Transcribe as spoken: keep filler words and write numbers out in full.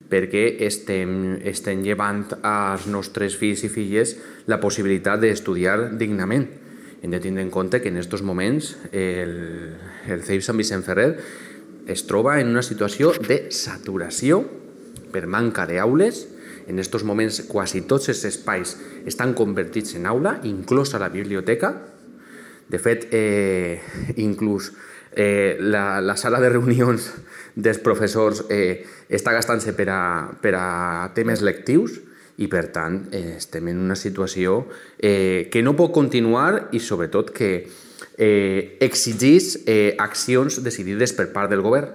perquè estem, estem llevant als nostres fills i filles la possibilitat d'estudiar dignament. Hem de tindre en compte que en aquests moments el, el C E I P Sant Vicent Ferrer es troba en una situació de saturació per manca d'aules. En aquests moments quasi tots els espais estan convertits en aula, inclosa la biblioteca. De fet, eh, inclús eh, la, la sala de reunions dels professors eh, està gastant-se per, a, per a temes lectius i, per tant, eh, estem en una situació eh, que no pot continuar i, sobretot, que eh, exigeix eh, accions decidides per part del govern.